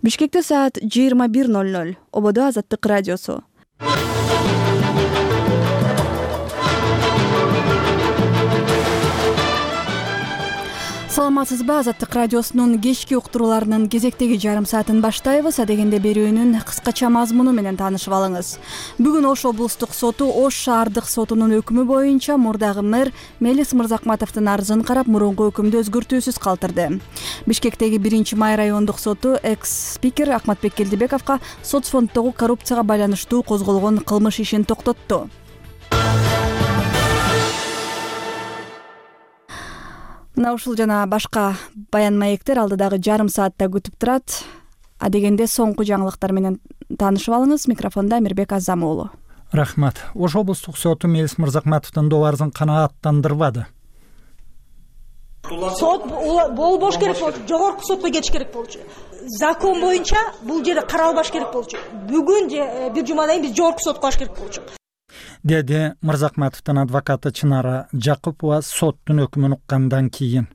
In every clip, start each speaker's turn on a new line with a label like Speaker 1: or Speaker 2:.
Speaker 1: Бишкекте саат 21:00. Ободо Азаттык радиосу. Саламатсызбы? Азаттык радиосунун кечки уктурууларынын кезектеги жарым саатын баштайбыз. Адегенде берүүнүн кыскача мазмуну менен таанышып алыңыз. Бүгүн Ош облустук соту Ош шаардык сотунун өкүмү боюнча мурдагы мэр Мелис Мырзакматовдун арызын карап, мурунку өкүмдү өзгөртүүсүз калтырды. Бишкектеги 1-май райондук соту экс-спикер Акматбек Келдибековго соцфонддогу коррупцияга байланыштуу козголгон кылмыш ишин токтотту. Мына ушул жана башка баян маектер алдыдагы жарым саатта күтүп турат. Адегенде соңку жаңылыктар менен таанышып алыңыз. Микрофондо Амирбек Азам уулу.
Speaker 2: Рахмат. Ош облустук соту Мелис Мырзакматовдун добарызын канааттандырбады.
Speaker 3: Сот болбош керек болчу, жогорку сотко кетиш керек болчу. Закон боюнча бул жерде каралбаш керек болчу. Бүгүн же бир жумадан кийин биз жогорку сотко баш керек болчу.
Speaker 2: Деди Мырзакматовдун адвокаты Чынара Жакупова соттун өкүмүн уккандан кийин.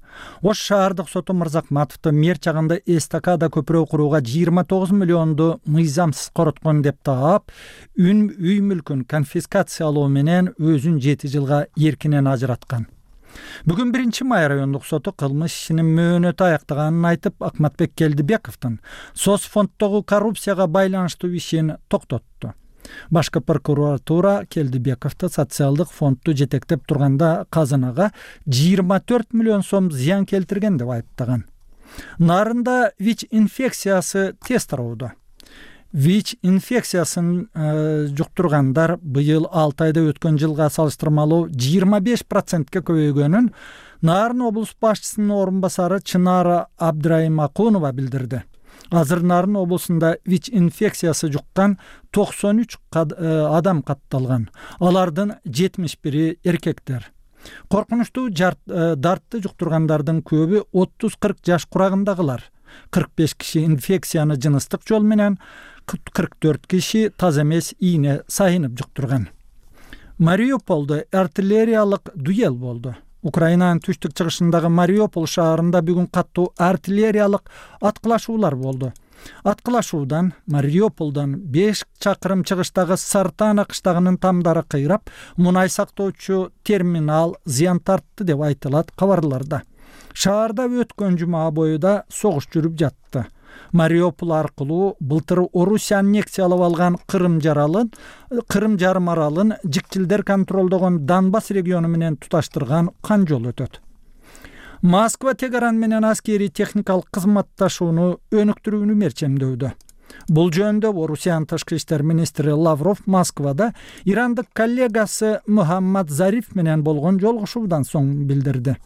Speaker 2: Ош шаардык соту Мырзакматовду мэр чагында эстакада көпүрө курууга 29 миллионду мыйзамсыз короткон деп таап, үй мүлкүн конфискациялоо менен өзүн 7 жылга эркинен ажыраткан. Бүгүн 1-май райондук соту кылмыш ишинин мөөнөтү аяктаганын айтып, Акматбек Келдибековдун соцфонддогу коррупцияга байланыштуу ишин токтотту. Башкы прокуратура Келдибековду социалдык фондду жетектеп турганда казынага 24 миллион сом зыян келтирген деп айыптаган. Нарында ВИЧ инфекциясы тест тароодо. ВИЧ инфекциясын жуктургандар быйыл 6 айда өткөн жылга салыштырмалуу 25%ке көбөйгөнүн Нарын облус башчысынын орун басары Чынара Абдрайымакунова билдирди. Азыр Нарын облусунда ВИЧ инфекциясы жуккан 93 адам катталган. Алардын 71-и эркектер. Коркунучтуу дартты жуктургандардын көбү 30-40 жаш курагындагылар. 45 киши инфекцияны жыныстык жол менен, 44 киши таза эмес ийне сайынып жуктурган. Мариуполдо артиллериялык дуэл болду. Украинанын түштүк-чыгышындагы Мариупол шаарында бүгүн каттуу артиллериялык аткылашуулар болду. Аткылашуудан Мариуполдон 5 чакырым чыгыштагы Сартана кыштагынын тамдары кыйрап, мунай сактоочу терминал зыян тартты деп айтылат кабарларда. Шаарда өткөн жума бою да согуш жүрүп жатты. Мариупол аркылуу былтыр Орусия аннексиялап алган Кырым жарым аралын жикчилдер контролдогон Донбасс региону менен туташтырган кан жол өтөт. Москва Тегеран менен аскери техникалык кызматташууну өнүктүрүүнү мерчемдөдө. Бул жөнүндө Орусиянын тышкы иштер министри Лавров Москвада ирандык коллегасы Мухаммад Зариф менен болгон жолугушуудан соң билдирди.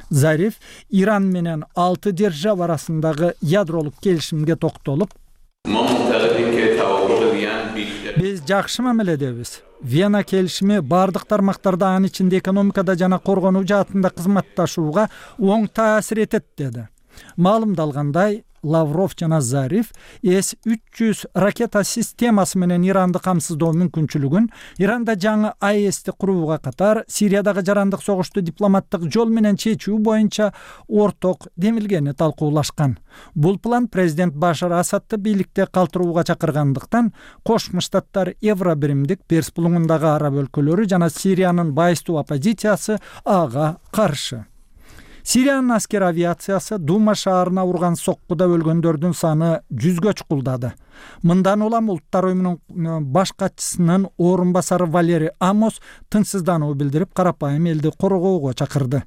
Speaker 2: Зариф Иран менен 6 держава арасындагы ядролук келишимге токтолуп, биз жакшы мамиледебиз. Вена келишими бардык тармактарда, анын ичинде экономикада жана коргонуу жаатында кызматташууга оң таасир этет деди. Маалымдалгандай, Лавров жана Зариф С-300 ракета системасы менен Иранды камсыздоо мүмкүнчүлүгүн, Иранда жаңы АЭСти курууга катар Сириядагы жарандык согушту дипломаттык жол менен чечүү боюнча орток демилгени талкуулашкан. Бул план президент Башар Асадты бийликте калтырууга чакыргандыктан, Кошмо Штаттар, Евробиримдик, Перс булуңундагы араб өлкөлөрү жана Сириянын байыстуу оппозициясы ага каршы. Сириянын аскер авиациясы Дума шаарына урган соккуда өлгөндөрдүн саны 100гө чукулдады. Мындан улам Улуттар уюмунун баш катчысынын орун басары Валерий Амос тынчсыздануу билдирип, карапайым элди коргоого чакырды.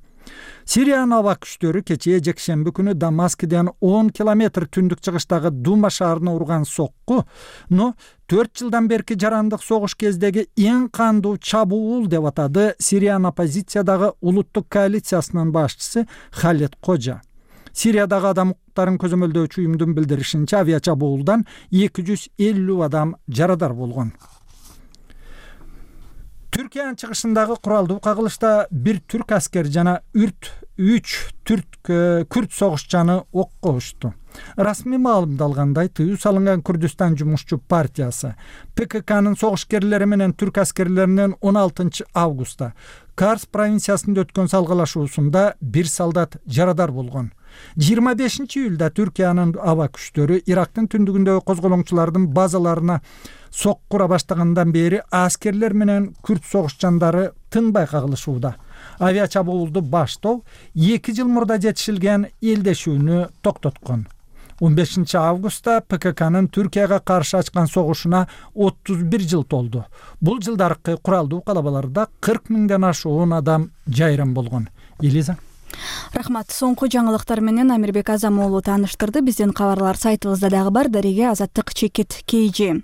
Speaker 2: Сириянын аба күчтөрү кечээ жекшемби күнү Дамаскиден 10 километр түндүк чыгыштагы Дума шаарына урган соккуну 4 жылдан берки жарандык согуш кездеги эң кандуу чабуул деп атады Сириянын оппозициядагы улуттук коалициясынын башчысы Халет Кожа. Сириядагы адам укуктарын көзөмөлдөөчү уюмдун билдиришинче, авиачабуулдан 250 адам жарадар болгон. Түркиянын чыгышындагы куралдуу кагылышта бир түрк аскери жана 3 күрд согушчаны окко ушту. Расмий маалымдалгандай, тыюу салынган Күрдүстан жумушчу партиясы ПККнын согушкерлери менен түрк аскерлеринин 16 августта Карс провинциясында өткөн салгылашуусунда 1 солдат жарадар болгон. 25-июлда Түркиянын аба күчтөрү Ирактын түндүгүндөгү козголоңчулардын базаларына соккура баштагандан бери аскерлер менен күрд согушчандары тынбай кагылышууда. Авиа чабуулду баштоо 2 жыл мурда жетишилген элдешүүнү токтоткон. 15 августта ПККнын Түркияга каршы ачкан согушуна 31 жыл толду. Бул жылдаркы куралдуу калабаларда 40 миңден ашуун адам жайран болгон. Элиза.
Speaker 1: Рахмат. Соңку жаңылыктар менен Амирбек Азамуулу тааныштырды. Биздин кабарлар сайтыбызда дагы бар. Дареге Азаттык чекит KG.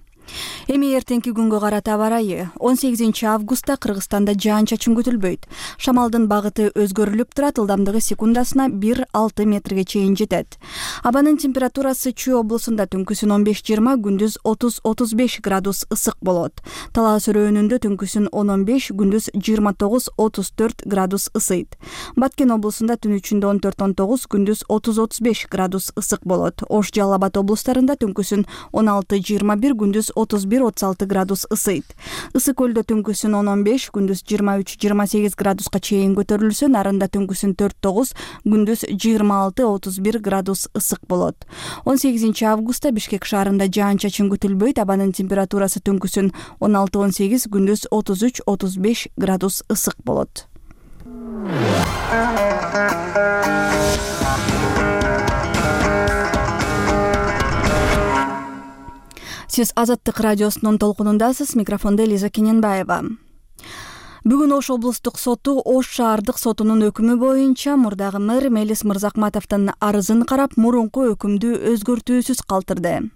Speaker 1: Эми эртеңки күнгө карата аба ырайы. 18 августта Кыргызстанда жаан-чачын күтүлбөйт. Шамалдын багыты өзгөрүлүп турат, ылдамдыгы секундасына 1-6 метрге чейин жетет. Абанын температурасы Чүй облусунда түнкүсүн 15-20, күндүз 30-35 градус ысык болот. Талас өрөөнүндө түнкүсүн 10-15, күндүз 29-34 градус ысыйт. Баткен облусунда түн ичинде 14-19, күндүз 30-35 градус ысык болот. Ош, Жалал Абад облустарында түнкүсүн 16-21, күндүз 31-36 градус ысыйт. Ысык көлдө түнкүсүн 10-15, күндүз 23-28 градуска чейин көтөрүлсө, Нарында түнкүсүн 4-9, күндүз 26-31 градус ысык болот. 18 августта Бишкек шаарында жаан-чачын күтүлбөйт, абанын температурасы түнкүсүн 16-18, күндүз 33-35 градус ысык болот. Сиз Азаттык радиосунун толкунундасыз. Микрофондо Элиза Кененбаева. Бүгүн Ош облустук соту Ош шаардык сотунун өкүмү боюнча мурдагы мэр Мелис Мырзакматовдун арызын карап, мурунку өкүмдү өзгөртүүсүз калтырды.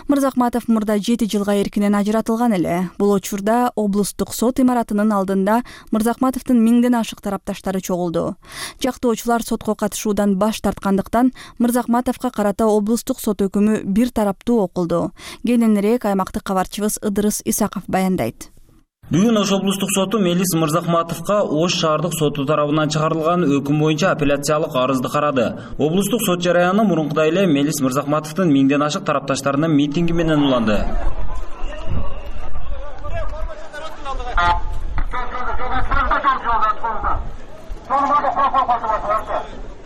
Speaker 1: Мырзакматов мурда 7 жылга эркинен ажыратылган эле. Бул учурда облустук сот имаратынын алдында Мырзакматовдун 1000ден ашык тарапташтары чогулду. Жактоочулар сотко катышуудан баш тарткандыктан Мырзакматовго карата облустук сот өкүмү бир тараптуу окулду. Кененирээк аймактык кабарчыбыз Ыдырыс Исаков баяндайт.
Speaker 4: Бүгүн Ош облустук соту Мелис Мырзакматовго Ош шаардык соту тарабынан чыгарылган өкүм боюнча апелляциялык арызды карады. Облустук сот жараяны мурункудай эле Мелис Мырзакматовдун 1000ден ашык тарапташтарынын митинги менен уланды.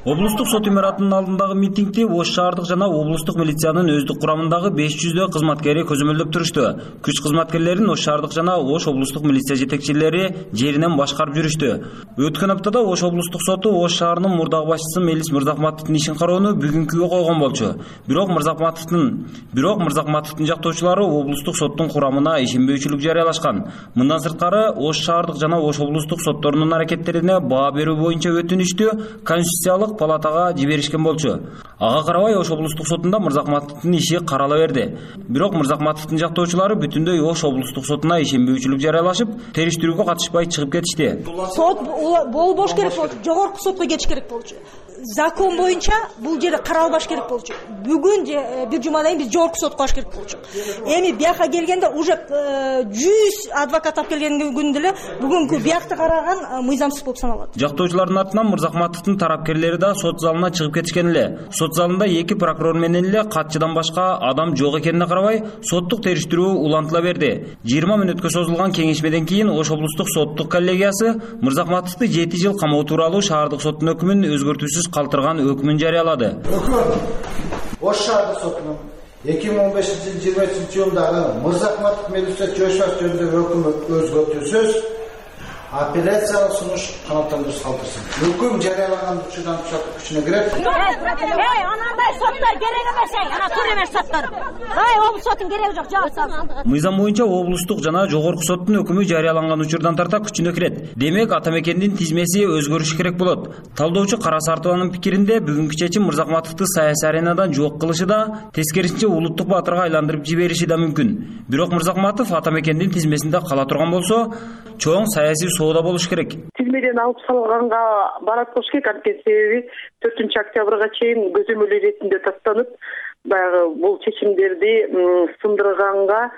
Speaker 4: Облустук сот имаратынын алдындагы митингди Ош шаардык жана облустук милициянын өздүк курамындагы 500 кызматкери көзөмөлдөп турушту. Күч кызматкерлерин Ош шаардык жана Ош облустук милиция жетекчилери жеринен башкарып жүрүштү. Өткөн аптада Ош облустук соту Ош шаарынын мурдагы башчысы Мелис Мырзакматовдун ишин кароону бүгүнкүгө койгон болчу. Бирок Мырзакматовдун жактоочулары облустук соттун курамына ишенбөөчүлүк жарыялашкан. Мындан сырткары Ош шаардык жана Ош облустук сотторунун аракеттерине баа берүү боюнча өтүнүштү Конституциялык палатага жиберишкен болчу. Ага карабай Ош облустук сотунда Мырзакматовдун иши карала берди. Бирок Мырзакматовдун жактоочулары бүтүндөй Ош облустук сотуна ишенбөөчүлүк жарыялашып, териштирүүгө катышпай чыгып кетишти.
Speaker 3: Сот болбош керек болчу, жогорку сотко кетиш керек болчу. Закон боюнча бул жерде каралбаш керек болчу. Бүгүн же бир жумадан кийин биз жогорку сотко баш керек болчу. Эми бияка келгенде уже 100 адвокат алып келген күндө эле бүгүнкү биякты караган мыйзамсыз болуп саналат.
Speaker 4: Жактоочулардын артынан Мырзакматовдун тарапкерлери да сот залына чыгып кетишкен эле. Сот залында 2 прокурор менен эле катчыдан башка адам жок экенине карабай, соттук териштирүү улантыла берди. 20 мүнөткө созулган кеңешмеден кийин Ош облустук соттук коллегиясы Мырзакматовду 7 жыл камоо тууралуу шаардык соттун өкүмүн өзгөртүүсүз калтырган өкүмүн жарыялады.
Speaker 5: Ош шаардык сотунун 2015-23-жылдагы Мырзакматов Мелис Жошбаев жөнүндөгү өкүмү өзгөртүүсүз апелляциялык сунуш канааттандырып калтырсын. Өкүм жарыялаган учурдан күчүнө кирет.
Speaker 6: Анандай соттор керек эмес, ана тур эмес соттор. Облус сотунун кереги жок, жаап салсын.
Speaker 4: Мыйзам боюнча облустук жана жогорку соттун өкүмү жарыяланган учурдан тарта күчүнө кирет. Демек, ата мекендин тизмеси өзгөрүшү керек болот. Талдоочу Кара Сартованын пикиринде бүгүнкү чечим Мырзакматовду саясий аренадан жок кылышы да, тескерисинче улуттук баатырга айландырып жибериши да мүмкүн. Бирок Мырзакматов ата мекендин тизмесинде кала турган болсо, чоң саясий соода болуш керек.
Speaker 7: Тизмеден алып салганга барат болуш керек, анткени себеби 4-октябрга чейин көзөмөл иретинде тастанып, баягы бул чечимдерди сындырганга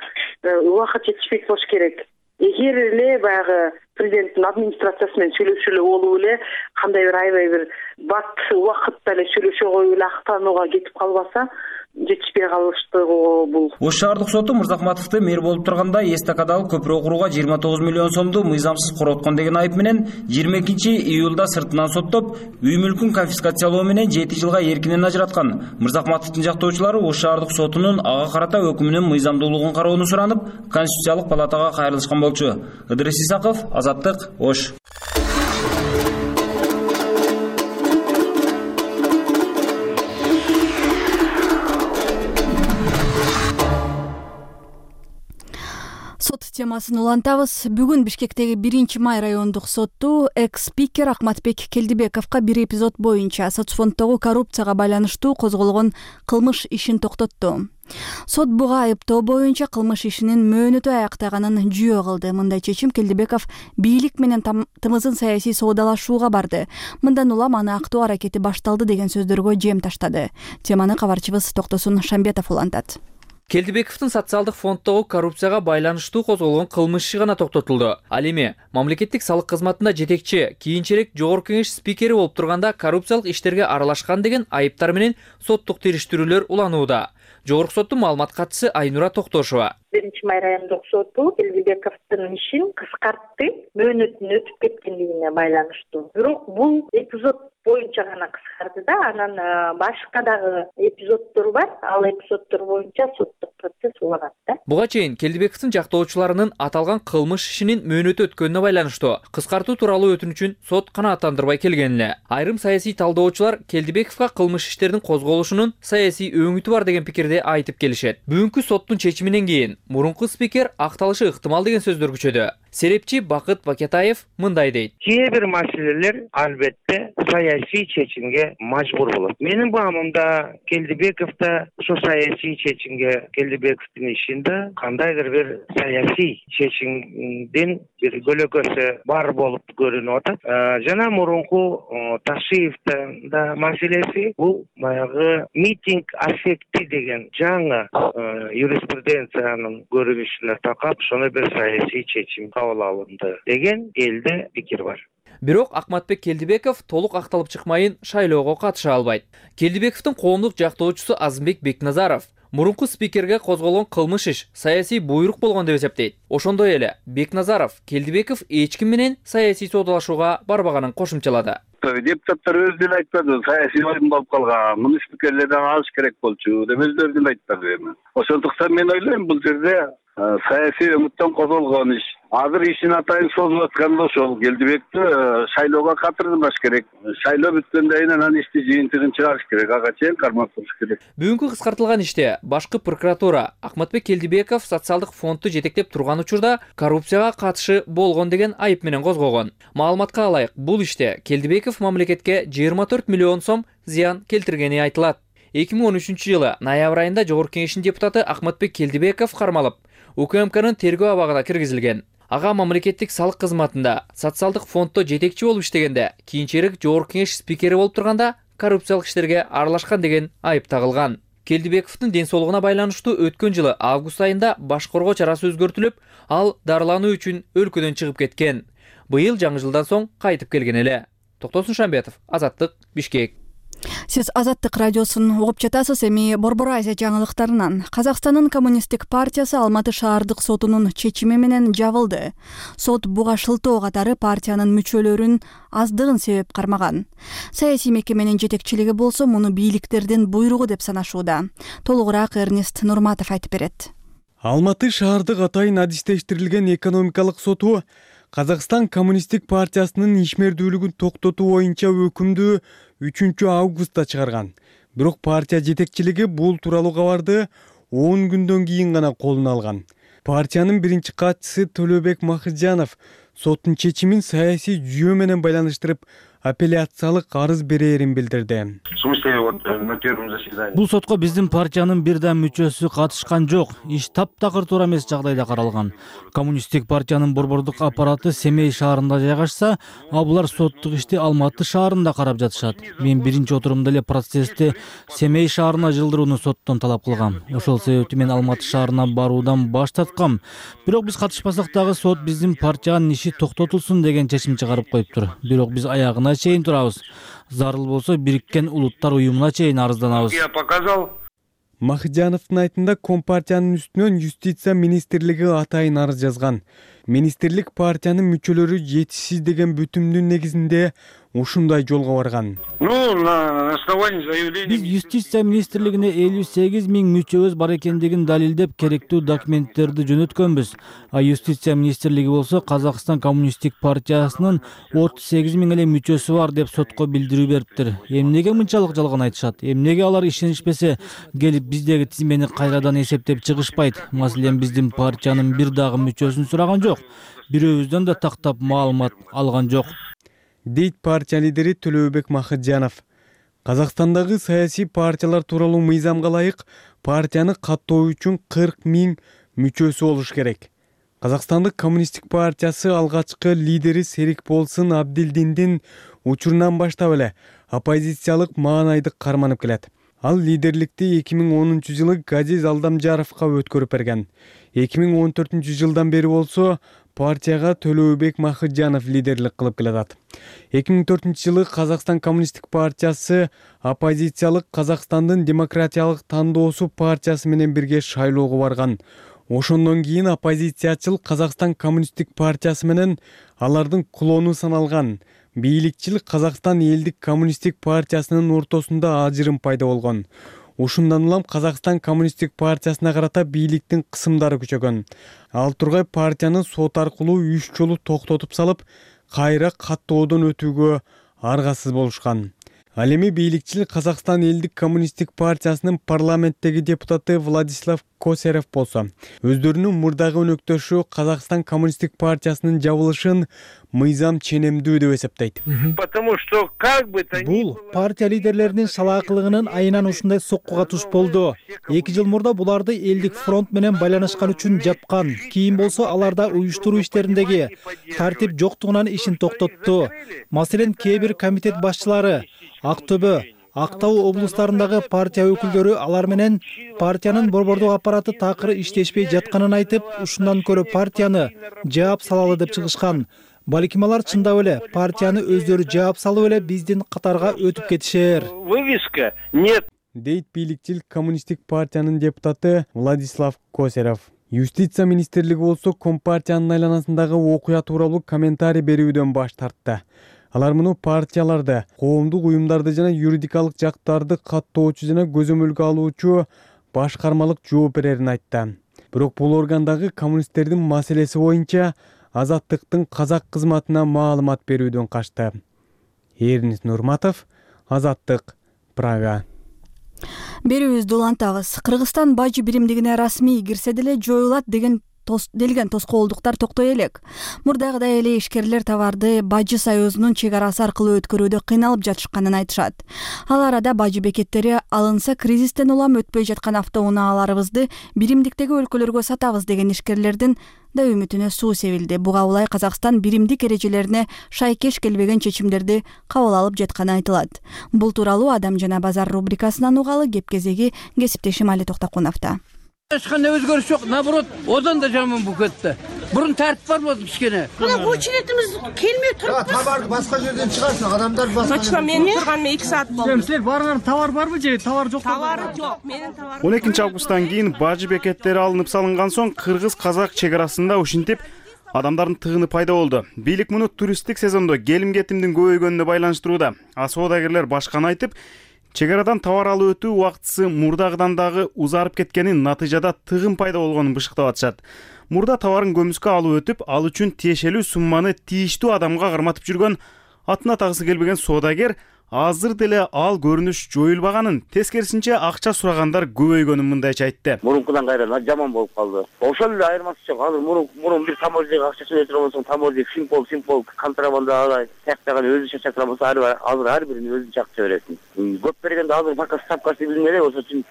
Speaker 7: убакыт жетишпейт болуш керек. Эгер эле баягы президенттин администрациясы менен сүйлөшүп эле болуп эле кандай бир аябай бир бат убакытта эле сүйлөшө коюп эле актанууга кетип калбаса жетишпей калыштыгы бул.
Speaker 4: Ош шаардык соту Мырзахматовду мэр болуп турганда эстакадалык көпүрө курууга 29 миллион сомду мыйзамсыз короткон деген айып менен 22-июлда сыртынан соттоп, үй мүлкүн конфискациялоо менен 7 жылга эркинен ажыраткан. Мырзахматовдун жактоочулары Ош шаардык сотунун ага карата өкүмүнүн мыйзамдуулугун кароону суранып, Конституциялык палатага кайрылышкан болчу. Ыдырыс Исаков, Азаттык, Ош.
Speaker 1: Сот темасын улантабыз. Бүгүн Бишкектеги 1-май райондук сотту экс-спикер Акматбек Келдибековго бир эпизод боюнча соцфонддогу коррупцияга байланыштуу козголгон кылмыш ишин токтотту. Сот буга айыптоо боюнча кылмыш ишинин мөөнөтү аяктаганын жүйө кылды. Мындай чечим Келдибеков бийлик менен тымызын саясий соодалашууга барды. Мындан улам аны актоо аракети башталды деген сөздөргө жем таштады. Теманы кабарчыбыз Токтосун Шамбетов улантат.
Speaker 8: Келдибековдун социалдык фонддогу коррупцияга байланыштуу козголгон кылмыш иши гана токтотулду. Ал эми мамлекеттик салык кызматында жетекчи, кийинчерээк Жогорку Кеңеш спикери болуп турганда коррупциялык иштерге аралашкан деген айыптар менен соттук териштирүүлөр уланууда. Жогорку соттун маалымат катчысы Айнура Токтошова.
Speaker 7: 1-май райондук соту Келдибековдун ишин кыскартты, мөөнөтүн өтүп кеткендигине байланыштуу. Бирок бул эпизод боюнча гана кыскарды да, анан башка дагы эпизоддор бар. Ал эпизоддор боюнча соттук процесс уланат да.
Speaker 8: Буга чейин Келдибековдун жактоочуларынын аталган кылмыш ишинин мөөнөтү өткөнүнө байланыштуу кыскартуу тууралуу өтүнүчүн сот канааттандырбай келген эле. Айрым саясий талдоочулар Келдибековго кылмыш иштердин козголушунун саясий өңүтү бар деген пикирди айтып келишет. Бүгүнкү соттун чечиминен кийин мурунку спикер акталышы ыктымал деген сөздөр күчөдү. Серепчи Бакыт Бакетаев мындай дейт.
Speaker 9: Кээ бир маселелер албетте саясий чечимге мажбур болот. Менин баамымда Келдибековда ошо саясий чечимге, Келдибековдун ишинде кандайдыр бир саясий чечимдин бир көлөкөсү бар болуп көрүнүп атат. Жана мурунку Ташиевдин да маселеси бул баягы митинг аффекти деген жаңы юриспруденциянын көрүнүшүнө такап, ошону бир саясий чечим кабыл алынды деген элде пикир бар.
Speaker 8: Бирок Акматбек Келдибеков толук акталып чыкмайын шайлоого катыша албайт. Келдибековдун коомдук жактоочусу Азымбек Бекназаров мурунку спикерге козголгон кылмыш иш саясий буйрук болгон деп эсептейт. Ошондой эле Бекназаров Келдибеков эч ким менен саясий соодалашууга барбаганын кошумчалады.
Speaker 10: Депутаттар өздөрү айтпады, саясий оюн болуп калган, муну спикерлерден алыш керек болчу деп өздөрү айтпады эми. Ошондуктан мен ойлойм, бул жерде саясий өңүттөн козголгон иш. Азыр ишин атайын созулуп атканда ошол Келдибекти шайлоого катырдырбаш керек. Шайлоо бүткөндөн кийин анан ишти жыйынтыгын чыгарыш керек, ага чейин кармап туруш керек.
Speaker 8: Бүгүнкү кыскартылган иште башкы прокуратура Акматбек Келдибеков социалдык фондду жетектеп турган учурда коррупцияга катышы болгон деген айып менен козгогон. Маалыматка алайык, бул иште Келдибеков мамлекетке 24 миллион сом зыян келтиргени айтылат. 2013-жылы ноябрь айында Жогорку Кеңештин депутаты Акматбек Келдибеков кармалып, УКМКнын тергөө абагына киргизилген. Ага мамлекеттик салык кызматында социалдык фонддо жетекчи болуп иштегенде, кийинчерээк Жогорку Кеңеш спикери болуп турганда коррупциялык иштерге аралашкан деген айып тагылган. Келдибековдун ден соолугуна байланыштуу өткөн жылы август айында баш коргоо чарасы өзгөртүлүп, ал дарылануу үчүн өлкөдөн чыгып кеткен. Быйыл жаңы жылдан соң кайтып келген эле. Токтосун Шамбетов, Азаттык, Бишкек.
Speaker 1: Сиз Азаттык радиосун угуп жатасыз. Эми Борбор Азия жаңылыктарынан. Казакстандын коммунисттик партиясы Алматы шаардык сотунун чечими менен жабылды. Сот буга шылтоо катары партиянын мүчөлөрүн аздыгын себеп кармаган. Саясий мекеменин жетекчилиги болсо муну бийликтердин буйругу деп санашууда. Толугураак Эрнест Нурматов айтып берет.
Speaker 11: Алматы шаардык атайын адистештирилген экономикалык соту Казакстан коммунисттик партиясынын ишмердүүлүгүн токтотуу боюнча өкүмдү 3-августта чыгарган. Бирок партия жетекчилиги бул тууралуу кабарды 10 күндөн кийин гана колуна алган. Партиянын биринчи катчысы Төлөбек Махыжанов соттун чечимин саясий жүйө менен байланыштырып апелляциялык арыз берээрин билдирди.
Speaker 12: В смысле вот на первом заседании.
Speaker 13: Бул сотко биздин партиянын бир да мүчөсү катышкан жок. Иш таптакыр туура эмес жагдайда каралган. Коммунисттик партиянын борбордук аппараты Семей шаарында жайгашса, булар соттук ишти Алматы шаарында карап жатышат. Мен биринчи отурумда эле процессти Семей шаарына жылдырууну соттон талап кылгам. Ошол себептен мен Алматы шаарына баруудан баш тарткам. Бирок биз катышпасак дагы сот биздин партиянын иши токтотулсун деген чечим чыгарып коюптур. Бирок биз аягына чейин турабыз. Зарыл болсо Бириккен Улуттар уюмуна чейин арызданабыз.
Speaker 12: Я показал.
Speaker 11: Махыджановдун айтында Компартиянын үстүнөн юстиция министрлиги атайын арыз жазган. Министрлик партиянын мүчөлөрү жетишсиз деген бүтүмдүн негизинде ушундай жолго барган.
Speaker 12: На основании заявления.
Speaker 13: Биз юстиция министрлигине 58 000 мүчөбүз бар экендигин далилдеп керектүү документтерди жөнөткөнбүз. А юстиция министрлиги болсо Казакстан коммунисттик партиясынын 38 000 эле мүчөсү бар деп сотко билдирүү бериптир. Эмнеге мынчалык жалган айтышат? Эмнеге алар ишенишпесе келип биздеги тизмени кайрадан эсептеп чыгышпайт? Маселен, биздин партиянын бир дагы мүчөсүн сураган жок. Бирөөбүздөн да тактап маалымат алган жок,
Speaker 11: дейт партия лидери Төлөбек Махыджанов. Казакстандагы саясий партиялар тууралуу мыйзамга ылайык партияны каттоо үчүн 40 000 мүчөсү болуш керек. Казакстандык коммунисттик партиясы алгачкы лидери Серикболсын Абдилдиндин учурунан баштап эле оппозициялык маанайды карманып келет. Ал лидерликти 2010-жылы Газиз Алдамжаровго өткөрүп берген. 2014-жылдан бери болсо партияга Төлөбек Махыджанов лидерлик кылып келатат. 2004-жылы Казакстан коммунисттик партиясы оппозициялык Казакстандын демократиялык тандоосу партиясы менен бирге шайлоого барган. Ошондон кийин оппозициячыл Казакстан коммунисттик партиясы менен алардын клону саналган бийликчил Казакстан элдик коммунисттик партиясынын ортосунда ажырым пайда болгон. Ушундан улам Казакстан коммунисттик партиясына карата бийликтин кысымдары күчөгөн. Ал тургай партияны сот аркылуу 3 жолу токтотуп салып, кайра каттоодон өтүүгө аргасыз болушкан. Ал эми бийликчил Казакстан элдик коммунисттик партиясынын парламенттеги депутаты Владислав Косарев болсо, өздөрүнүн мурдагы өнөктөшү Казакстан коммунисттик партиясынын жабылышын мыйзам ченемдүү деп эсептейт.
Speaker 12: Потому что как бы то ни
Speaker 2: Бул партия лидерлеринин салаакылыгынын айынан ушундай соккуга туш болду. 2 жыл мурда буларды элдик фронт менен байланышкан үчүн жапкан. Кийин болсо аларда уюштуруу иштериндеги тартип жоктугунан ишин токтотту. Маселен, кээ бир комитет башчылары Актөбө, Актау облустарындагы партия өкүлдөрү алар менен партиянын борбордук аппараты такыр иштешпей жатканын айтып, ушундан көрө партияны жаап салалы деп чыгышкан. Балким алар чындап эле партияны өздөрү жаап салып эле биздин катарга өтүп кетишер.
Speaker 12: Вывеска нет.
Speaker 11: Дейт бийликчил коммунисттик партиянын депутаты Владислав Косарев. Юстиция министрлиги болсо Компартиянын айланасындагы окуя тууралуу комментарий берүүдөн баш тартты. Алар муну партияларды, коомдук уюмдарды жана юридикалык жактарды каттоочу жана көзөмөлгө алуучу башкармалык жооп берерин айтты. Бирок бул органдагы коммунисттердин маселеси боюнча Азаттыктын казак кызматына маалымат берүүдөн качты. Эрнис Нурматов, Азаттык, Прага.
Speaker 1: Берүүбүздү улантабыз. Кыргызстан бажы биримдигине расмий кирсе деле жоюлат делген тоскоолдуктар токтой элек. Мурдагыдай эле ишкерлер товарды Бажы союзунун чек арасы аркылуу өткөрүүдө кыйналып жатышканын айтышат. Ал арада бажы бекеттери алынса кризистен улам өтпөй жаткан автоунааларыбызды биримдиктеги өлкөлөргө сатабыз деген ишкерлердин да үмүтүнө суу себилди. Буга улай Казакстан биримдик эрежелерине шайкеш келбеген чечимдерди кабыл алып жатканы айтылат. Бул тууралуу Адам жана базар рубрикасынан угалы кеп кезеги кесиптешим Али Токтокуновдо.
Speaker 14: Эч кандай өзгөрүш жок, наоборот, одан да жаман болуп кетти. Бурун тартип бар болду кичкене.
Speaker 15: Мына очередimiz келмей туруп. Товарды башка жерден чыгарсын, адамдар башка. Точно, мен турганыма 2 саат болду.
Speaker 14: Силер барган товар барбы же товар жок?
Speaker 15: Товар жок, менин товарым.
Speaker 16: 12-августтан кийин бажы бекеттери алынып салынган соң кыргыз-казак чек арасында ушинтип адамдардын тыгыны пайда болду. Бийлик муну туристтик сезондо келим-кетимдин көбөйгөнүнө байланыштырууда. А соодагерлер башканы айтып, чек арадан товар алып өтүү убактысы мурдагыдан дагы узарып кеткенин, натыйжада тыгын пайда болгонун бышыктап атышат. Мурда товарын көмүскө алып өтүп, ал үчүн тиешелүү сумманы тийиштүү адамга карматып жүргөн, атына тагысы келбеген соодагер азыр деле ал көрүнүш жоюлбаганын, тескерисинче акча сурагандар көбөйгөнүн мындайча айтты.
Speaker 17: Мурункудан кайра жаман болуп калды. Ошол эле айырмасы жок. Азыр мурун бир таможняга акча төлөйт болсоң, таможня симпол контрабанда тактаган өзү чачатыран болсо, азыр ар бирин өзүнчө акча бересиң. Көп бергенде азыр пока ставкасы билинбей, ошон үчүн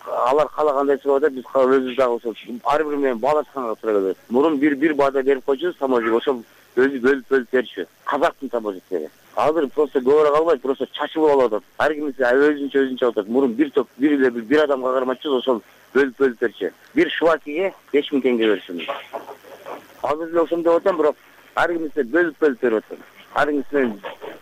Speaker 17: алар каалагандай чыгып атат, биз өзүбүз дагы ошол ар бири менен баалашканга туура келет. Мурун бир баада берип койчу таможняга, ошол өзү бөлүп берчү. Казактын таможнясы. Азыр просто көбөрөөк албайт, просто чачып алып атат. Ар кимиси өзүнчө атат. Мурун бир адамга кармачу, ошол бөлүп берчү. Бир швакиге 5000 теңге берчү. Азыр эле ошондой деп атам, бирок ар кимиси бөлүп берип атат. Ар кимиси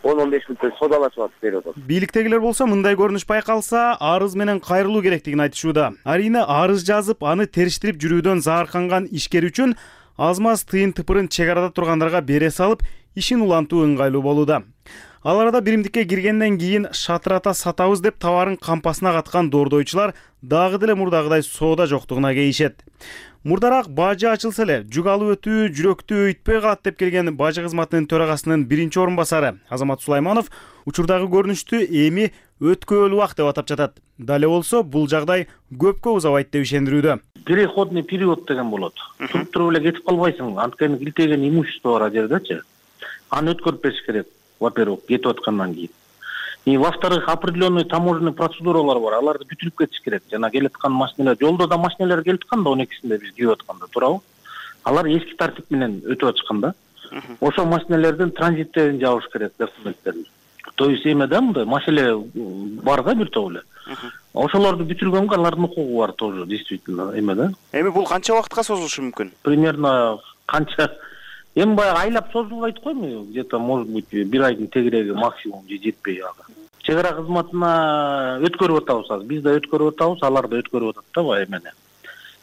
Speaker 17: 10-15 мүнөт содалашып берип атат.
Speaker 16: Бийликтегилер болсо мындай көрүнүш байкалса, арыз менен кайрылуу керектигин айтышууда. Арийне арыз жазып, аны териштирип жүрүүдөн заарканган ишкер үчүн аз-маз тыйын тыпырын чек арада тургандарга бере салып, ишин улантуу ыңгайлуу болууда. Ал арада биримдикке киргенден кийин шатырата сатабыз деп товарын кампасына каткан доордойчулар дагы деле мурдагыдай соода жоктугуна кейишет. Мурдараак бажы ачылса эле, жүк алып өтүү жүрөктү өйтпөй калат деп келген бажы кызматынын төрагасынын биринчи орун басары Азамат Сулайманов учурдагы көрүнүштү эми өткөөлүү ак деп атап жатат. Дале болсо бул жагдай көпкө узабайт деп ишендирүүдө.
Speaker 18: Переходный период деген болот. Туруп туруп эле кетип калбайсың. Анткени илтеген имущество бар жердечи. Аны өткөрүп бериш керек. Во-первых, кетип аткандан кийин. И во-вторых, определенный таможенный процедуралар бар. Аларды бүтүрүп кетиш керек. Жана келаткан машиналар, жолдо да машиналар келип аткан да 12-синде биз кирип атканда, туурабы? Алар эски тартип менен өтүп атышкан да. Ошол машиналардын транзиттерин жабыш керек, документтерин. То есть эме да мындай маселе бар да бир топ эле. Ошолорду бүтүргөнгө алардын укугу бар тоже, действительно, эме да.
Speaker 16: Эми бул канча убакытка созулушу мүмкүн?
Speaker 18: Примерно канча эми баягы айлап созулбайт койму? Где-то может быть бир айдын тегереги максимум же жетпей ага. Чек ара кызматына өткөрүп атабыз азыр. Биз да өткөрүп атабыз, алар да өткөрүп атат да баягы эмени.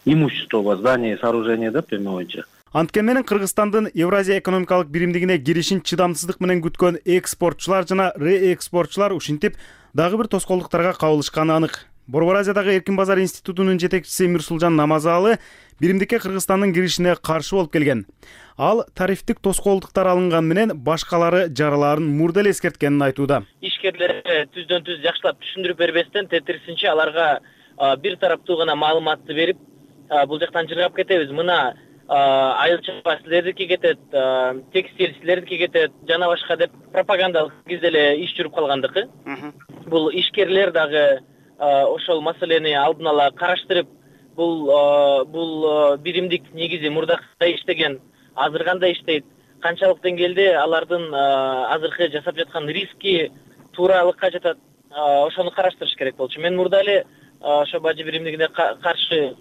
Speaker 18: Имущество, здание, сооружение деп эме боюнча.
Speaker 16: Анткени менен Кыргызстандын Евразия экономикалык биримдигине киришин чыдамсыздык менен күткөн экспортчулар жана реэкспортчулар ушинтип дагы бир тоскоолдуктарга кабылышканы анык. Борбор Азиядагы Эркин базар институтунун жетекчиси Мирсулжан Намазалы биримдикке Кыргызстандын киришине каршы болуп келген. Ал тарифтик тоскоолдуктар алынган менен башкалары жараларын мурда эле эскерткенин айтууда.
Speaker 19: Ишкерлерге түздөн-түз жакшылап түшүндүрүп бербестен, тетирисинче аларга бир тараптуу гана маалыматты берип, бул жактан жыргап кетебиз. Мына айыл чапа силердики кетет, текстиль силердики кетет, жана башка деп пропагандалык кезде эле иш жүрүп калгандыгы. Бул ишкерлер дагы ошол маселени алдын ала караштырып, бул биримдик негизи мурда кандай иштеген, азыр кандай иштейт, канчалык деңгээлде алардын азыркы жасап жаткан риски тууралыкка жатат, ошону караштырыш керек болчу. Мен мурда эле ошо бажы биримдигине каршы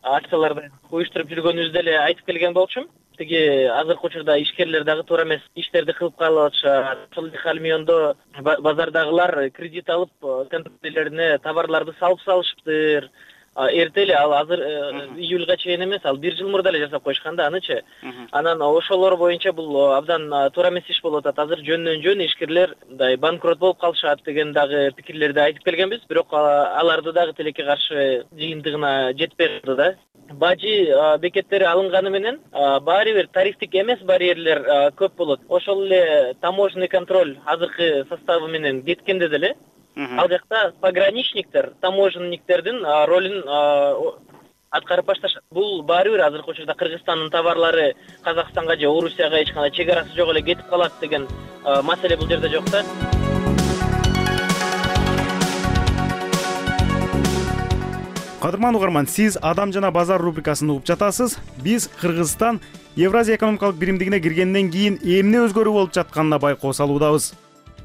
Speaker 19: акцияларды уюштуруп жүргөнүбүздү эле айтып келген болчумун. Тиги азыркы учурда ишкерлер дагы туура эмес иштерди кылып калып атышат. Ошол халмиондо базардагылар кредит алып, контейнерлерине товарларды салып салышыптыр. Эрте эле ал азыр июлга чейин эмес, ал 1 жыл мурда эле жасап койушкан да анычы. Анан ошолор боюнча бул абдан туура эмес иш болуп атат. Азыр жөндөн жөн ишкерлер мындай банкрот болуп калышат деген дагы пикирлерди айтып келгенбиз, бирок аларды дагы тилекке каршы жыйынтыгына жетпей калды да. Бажы бекеттери алынганы менен баары бир тарифтик эмес барьерлер көп болот. Ошол эле таможенный контроль азыркы составы менен кеткенде деле ал жакта пограничниктер, таможенниктердин ролун аткарып башташат. Бул баары бир азыркы учурда Кыргызстандын товарлары Казакстанга же Орусияга эч кандай чек арасы жок эле кетип калат деген маселе бул жерде жок да.
Speaker 16: Кадырман угарман, сиз Адам жана базар рубрикасын угуп жатасыз. Биз Кыргызстан Евразия экономикалык биримдигине киргенден кийин эмне өзгөрүү болуп жатканына байкоо салуудабыз.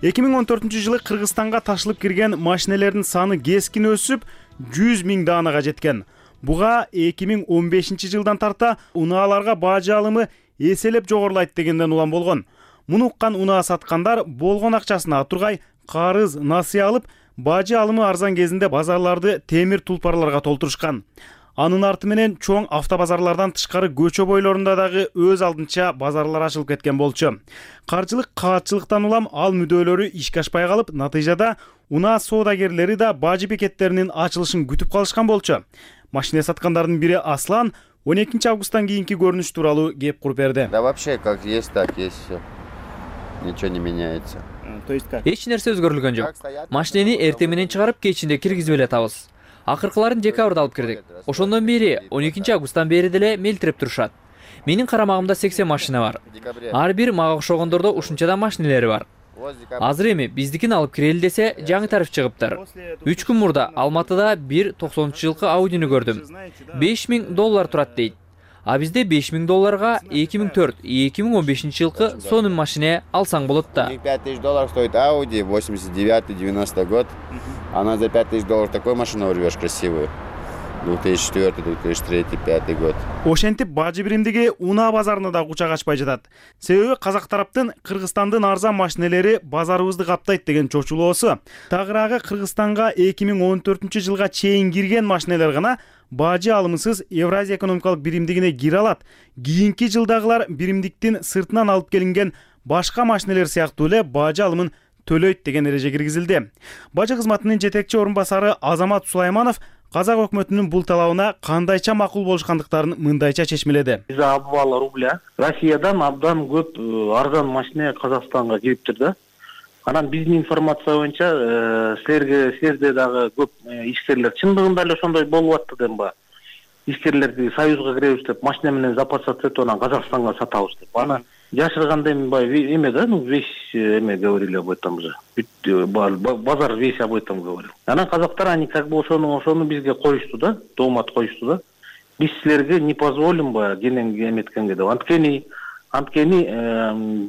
Speaker 16: 2014-жылы Кыргызстанга ташылып кирген машинелердин саны кескин өсүп, 100 000 даанага жеткен. Буга 2015-жылдан тарта унааларга бажы алымы эселеп жогорулайт дегенден улам болгон. Муну уккан унаа саткандар болгон акчасына тургай карыз, насыя алып, бажы алымы арзан кезинде базарларды темир тулпарларга толтурушкан. Анын арты менен чоң автобазарлардан тышкары көчө бойлорунда дагы өз алдынча базарлар ачылып кеткен болчу. Каржылык каатчылыктан улам ал мүдөлөрү ишке ашпай калып, натыйжада унаа соодагерлери да бажы бекеттеринин ачылышын күтүп калышкан болчу. Машина саткандардын бири Аслан 12 августтан кийинки көрүнүш тууралуу кеп куруп берди.
Speaker 20: Да вообще как есть, так есть всё. Ничего не меняется.
Speaker 8: Эч нерсе өзгөрүлгөн жок. Машинени эртең менен чыгарып, кечинде киргизип эле атабыз. Акыркыларын декабрда алып кирдик. Ошондон бери 12 августтан бери деле мелтиреп турушат. Менин карамагымда 80 машина бар. Ар бир мага окшогондордо ушунчадан машинелери бар. Азыр эми биздикин алып кирели десе, жаңы тариф чыгыптыр. 3 күн мурда Алматыда бир 90-жылкы Audini көрдүм. $5000 турат дейт. А бизде $5000 2004-2015 жылкы сонун машина алсаң болот да.
Speaker 20: $5000 стоит Audi 89-90 год. Она за $5000 такой машину урвешь красивую. 2004, 2003, 2005 год.
Speaker 16: Ошентип бажы биримдиги унаа базарына да кучак ачпай жатат. Себеби казак тараптын Кыргызстандын арзан машинелери базарыбызды каптайт деген чочулоосу. Тагыраагы Кыргызстанга 2014-жылга чейин кирген машинелер гана бажы алымсыз Евразия экономикалык биримдигине кире алат. Кийинки жылдагылар биримдиктин сыртынан алып келинген башка машинелер сыяктуу эле бажы алымын төлөйт деген эреже киргизилди. Бажы кызматынын жетекчи орун басары Азамат Сулайманов казак өкмөтүнүн бул талабына кандайча макул болушкандыктарын мындайча чечмеледи.
Speaker 18: За обвал рубля Россиядан абдан көп арзан машина Казакстанга кириптир да. Анан биздин информация боюнча силерде дагы көп ишкерлер чындыгында эле ошондой болуп атты демба. Ишкерлерди союзга киребиз деп машина менен запасаться этип анан Казакстанга сатабыз деп. Аны жашырганда эме да, весь эме говорили об этом же. Базар весь об этом говорил. Анан казактар они как бы ошону бизге коюшту да, доомат коюшту да. Биз силерге не позволим кенен эметкенге деп. Анткени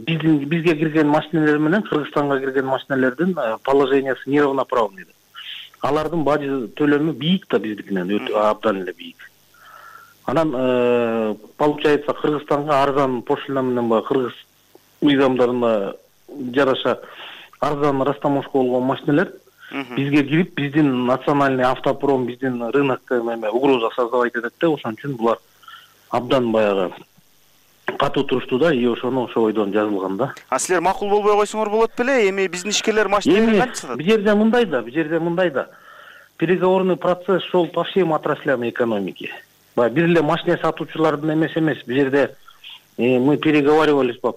Speaker 18: бизге кирген машинелер менен Кыргызстанга кирген машинелердин положениясы неравноправный. Алардын бажы төлөмү бийик да биздикинен, абдан эле бийик. Анан получается Кыргызстанга арзан пошлина менен кыргыз мыйзамдарына жараша арзан растаможка болгон машинелер бизге кирип, биздин национальный автопром, биздин рынокко угроза создавать этет да, ошон үчүн булар абдан баягы катуу турушту да, и ошону ошо бойдон жазылган да.
Speaker 16: А силер макул болбой койсоңор болот беле? Эми биздин ишкерлер машинени кантип сатат?
Speaker 18: Бул жерде мындай да. Переговорный процесс шел по всем отраслям экономики. Бир эле машина сатуучулардын эмес. Бул жерде мы переговаривались по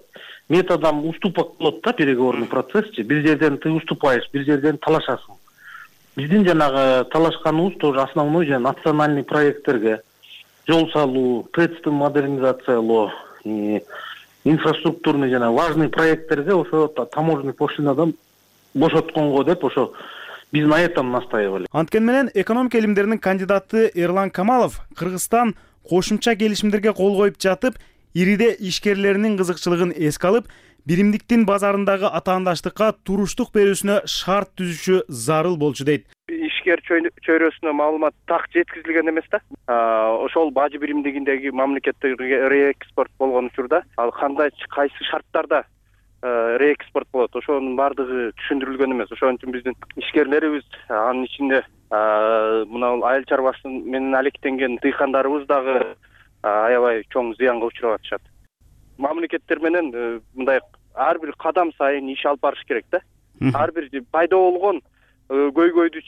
Speaker 18: методам уступок болот да, переговорный процессчи. Бир жерден ты уступаешь, бир жерден талашасың. Биздин жанагы талашканыбыз тоже основной же национальный проекттерге жол салуу, ТЭЦти модернизациялоо, инфраструктурный жана важный проекттерге ошо таможенный пошлинадан бошотконго деп ошо биз на этом настаивали.
Speaker 16: Анткени менен экономика илимдеринин кандидаты Эрлан Камалов Кыргызстан кошумча келишимдерге кол коюп жатып, ириде ишкерлеринин кызыкчылыгын эске алып, биримдиктин базарындагы атаандаштыкка туруштук берүүсүнө шарт түзүшү зарыл болчу дейт.
Speaker 21: Ишкер чөйрөсүнө маалымат так жеткизилген эмес да. Ошол бажы биримдигиндеги мамлекеттерге реэкспорт болгон учурда ал кайсы шарттарда реэкспорт болот, ошонун баардыгы түшүндүрүлгөн эмес. Ошон үчүн биздин ишкерлерибиз, анын ичинде мына айыл чарбасы менен алектенген дыйкандарыбыз дагы аябай чоң зыянга учурап атышат. Мамлекеттер менен мындай ар бир кадам сайын иш алып барыш керек да. Ар бир пайда болгон көйгөйдү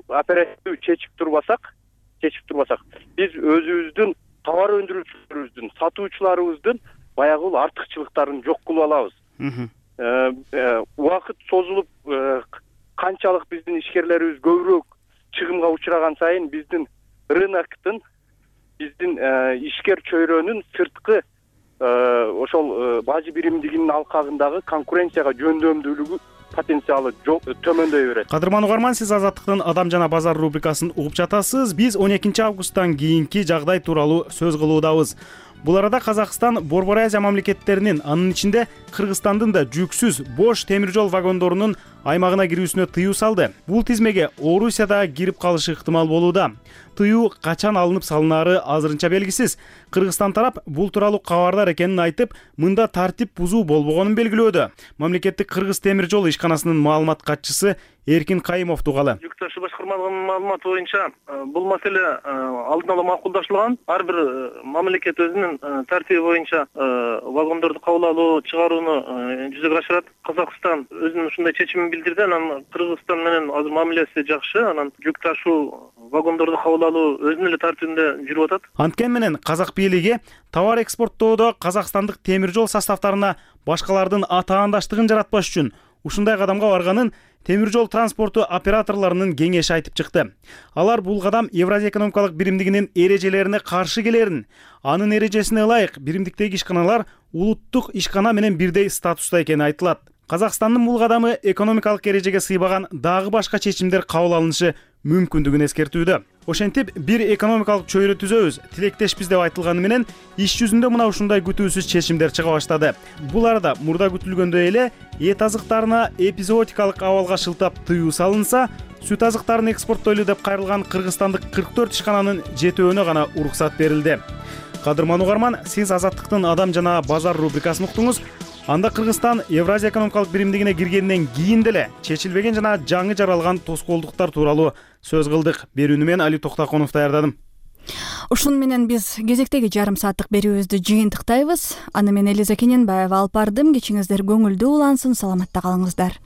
Speaker 21: оперативдүү чечип турбасак, биз өзүбүздүн товар өндүрүүчүлөрүбүздүн, сатуучуларыбыздын баягы артыкчылыктарын жок кылып алабыз. Убакыт созулуп, канчалык биздин ишкерлерибиз көбүрөөк чыгымга учураган сайын биздин рыноктун, биздин ишкер чөйрөнүн сырткы ошол бажы биримдигинин алкагындагы конкуренцияга жөндөмдүүлүгү потенциалы төмөндөй берет.
Speaker 16: Кадырман угарман, сиз Азаттыктын Адам жана базар рубрикасын угуп жатасыз. Биз 12 августтан кийинки жагдай тууралуу сөз кылуудабыз. Бул арада Казакстан Борбор Азия мамлекеттеринин, анын ичинде Кыргызстандын да жүксүз бош темир жол вагондорунун аймагына кирүүсүнө тыюу салды. Бул тизмеге Орусия да кирип калышы ыктымал болууда. Тыюу качан алынып салынары азырынча белгисиз. Кыргызстан тарап бул тууралуу кабардар экенин айтып, мында тартип бузуу болбогонун белгилөөдө. Мамлекеттик Кыргыз темир жол ишканасынын маалымат катчысы Эркин Кайымов тугалы.
Speaker 22: Жүк ташуу башкармалыгынын маалыматы боюнча бул маселе алдын ала макулдаштырылган. Ар бир мамлекет өзүнүн тартиби боюнча вагондорду кабыл алуу, чыгарууну жүзөгө ашырат. Казакстан өзүнүн ушундай чечимин билдирди. Анан Кыргызстан менен азыр мамилеси жакшы. Анан жүк ташуу, вагондорду кабыл алуу өзүнүн эле тартибинде жүрүп атат.
Speaker 16: Анткени менен казак бийлиги товар экспорттоодо казакстандык темир жол составтарына башкалардын атаандаштыгын жаратпаш үчүн ушундай кадамга барганын темир жол транспорту операторлорунун кеңеши айтып чыкты. Алар бул кадам Евразия экономикалык биримдигинин эрежелерине каршы келерин, анын эрежесине ылайык биримдиктеги ишканалар улуттук ишкана менен бирдей статуста экени айтылат. Казакстандын бул кадамы экономикалык эрежеге сыйбаган дагы башка чечимдер кабыл алынышы мүмкүндүгүн эскертүүдө. Ошентип бир экономикалык чөйрө түзөбүз, тилектешпиз деп айтылганы менен иш жүзүндө мына ушундай күтүүсүз чечимдер чыга баштады. Бул арада мурда күтүлгөндөй эле эт азыктарына эпизоотикалык абалга шылтап тыюу салынса, сүт азыктарын экспорттойлу деп кайрылган кыргызстандык 44 ишкананын жетөөнө гана уруксат берилди. Кадырман угарман, сиз Азаттыктын Адам жана Базар рубрикасын уктуңуз. Анда Кыргызстан Евразия экономикалык биримдигине киргенден кийин деле чечилбеген жана жаңы жаралган тоскоолдуктар тууралуу сөз кылдык. Берүүнү мен Али Токтаконов даярдадым.
Speaker 1: Ушун менен биз кезектеги жарым сааттык берүүбүздү жыйынтыктайбыз. Аны мен Элиза Кененбаева алып бардым. Кечиңиздер көңүлдүү улансын, саламатта калыңыздар.